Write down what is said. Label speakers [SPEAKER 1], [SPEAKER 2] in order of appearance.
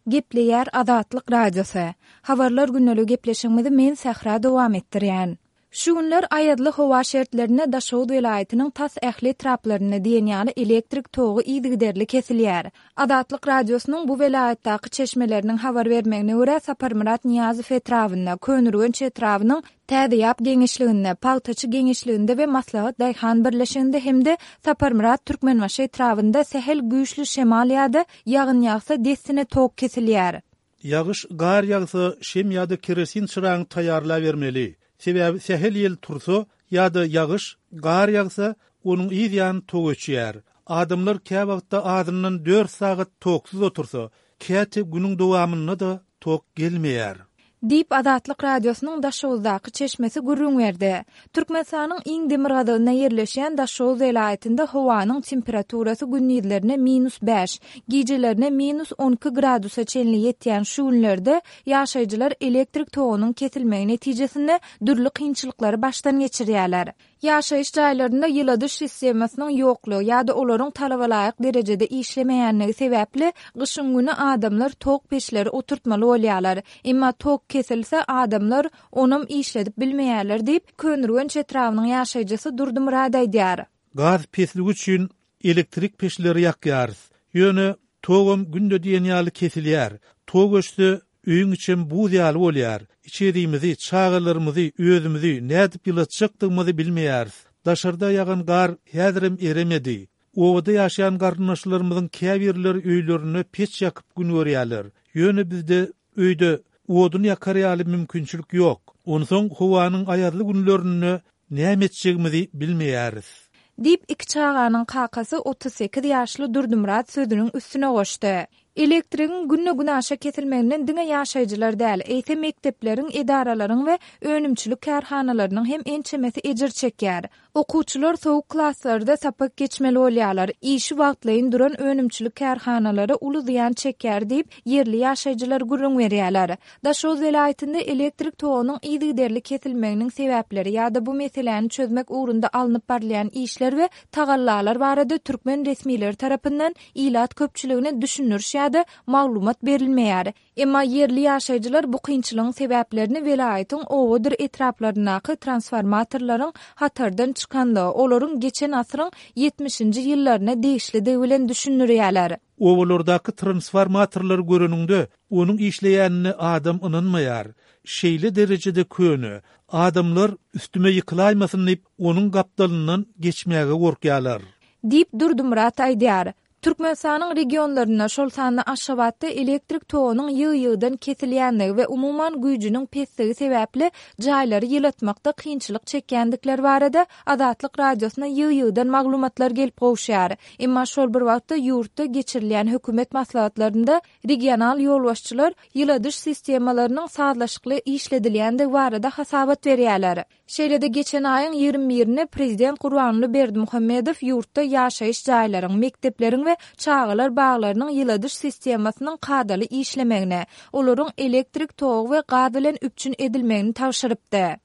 [SPEAKER 1] Gepleýär Azatlyk Radiosy. Habarlar gündeligi gepleşigimizi men Sähra dowam etdirýän. Şu günler aýazly howa şertlerinde Daşoguz welaýatynyň tas ähli etraplarynda diýen ýaly elektrik togy yzygiderli kesilýär. Azatlyk Radiosynyň bu welaýatdaky çeşmeleriniň habar bermegine görä, Saparmyrat Nyýazow etrabynda, Köneürgenç etrabynyň Täzeýap geňeşliginde, Pagtaçy geňeşliginde we Maslahat daýhan birleşiginde hem-de Saparmyrat Türkmenbaşy etrabynda sähel güýçli şemal ýa-da ýagyn ýagsa dessine tok kesilýär.
[SPEAKER 2] Ýagyş, gar ýagsa şem ýa-da kerosin çyraňy taýýarlabermeli. Sebäbi sähel ýel tursa ýa-da ýagyş, gar ýagsa, onuň yz ýany tok öçýär. Adamlar käwagtda azyndan dört sagat toksuz otursa, käte günüň dowamynda-da tok gelmeýär.
[SPEAKER 1] Diýip, Azatlyk Radiosynyň Daşoguzdaky çeşmesi gürrüň berdi. Türkmenistanyň iň demirgazygynda ýerleşýän Daşoguz welaýatynda howanyň temperaturasy gündizlerine minus bäş, gijelerine minus 12 gradusa çenli ýetýän şu günlerde ýaşaýjylar elektrik togunyň kesilmegi netijesinde dürli kynçylyklary başdan geçirýärler. Ýaşaýyş jaýlarynda ýyladyş sistemasynyň ýoklugy ýa-da olaryň talabalaýyk derejede işlemeýänligi sebäpli, gyşyň güni adamlar tok peçleri oturtmaly bolýarlar. Emma tok kesilse, adamlar onam işledip bilmeýärler diýip, Köneürgenç etrabynyň ýaşaýjysy Durdymyrat aýdýar.
[SPEAKER 2] Gaz pesligi üçin elektrik peçleri ýakýarys. Ýöne togam günde diýen ýaly kesilýär. Tok öçse, Öýüň içem buz ýaly bolýar. Içerimizi, çagalarymyzy, özümizi nädip ýylatjakdygymyzy bilmeýäris. Daşarda ýagan gar häzirem eremedi. Obada ýaşaýan garyndaşlarymyzyň käbirleri öýlerinde peç ýakyp gün görýärler. Ýöne bizde öýde odun ýakar ýaly mümkinçilik ýok. Onsoň howanyň aýazly günlerinde näme etjegimizi bilmeýäris.
[SPEAKER 1] Diýip, iki çaganyň kakasy 38 ýaşly Durdymyrat sözüniň üstüne goşdy. Elektrigiň günde-günaşa kesilmeginden diňe ýaşaýjylar däl, eýse mekdepleriň, edaralaryň we önümçilik kärhanalarynyň hem ençemesi ejir çekýär. Okuwçylar sowuk klaslarda sapak geçmeli bolýarlar, işi wagtlaýyn duran önümçilik kärhanalary uly zyýan çekýär diýip, ýerli ýaşaýjylar gürrüň berýärler. Daşoguz welaýatynda elektrik togunyň yzygiderli kesilmeginiň sebäpleri ýa-da bu meseläni çözmek ugrunda alnyp barylýan işler we tagallalar barada türkmen resmileri tarapyndan ilat köpçüligine düşündiriş ýa-da maglumat berilmeýär. Emma ýerli ýaşaýjylar bu kynçylygyň sebäplerini welaýatyň obadyr etraplaryndaky transformatorlaryň hatardan çykanlygy, olaryň geçen asyryň ýetmişinji ýyllaryna degişlidigi bilen düşündirýärler.
[SPEAKER 2] Obalardaky transformatorlary göreniňde, onuň işleýänine adam ynanmaýar. Şeýle derejede köne. Adamlar üstüme ýykylaýmasyn diýip, onuň gapdalyndan geçmäge gorkýarlar.
[SPEAKER 1] Diýip, Durdymyrat aýdýar. Türkmenistanyň regionlarynda, şol sanda Aşgabatda elektrik togunyň ýygy-ýygydan kesilýändigi we umuman güýjüniň pesdigi sebäpli jaýlary ýylatmakda kynçylyk çekýändikleri barada Azatlyk Radiosyna ýygy-ýygydan maglumatlar gelip gowuşýar. Emma şol bir wagtda ýurtda geçirilýän hökümet maslahatlarynda regional ýolbaşçylar ýyladyş sistemalarynyň sazlaşykly işledilýändigi barada hasabat berýärler. Şeýle-de geçen aýyň 21 birinde prezident Gurbanguly Berdimuhamedow ýurtda ýaşaýyş jaýlaryň, mekdepleriň we çagalar baglarynyň ýyladyş sistemasynyň kadaly işlemegini, olaryň elektrik togy we gaz bilen üpjün edilmegini tabşyrypdy.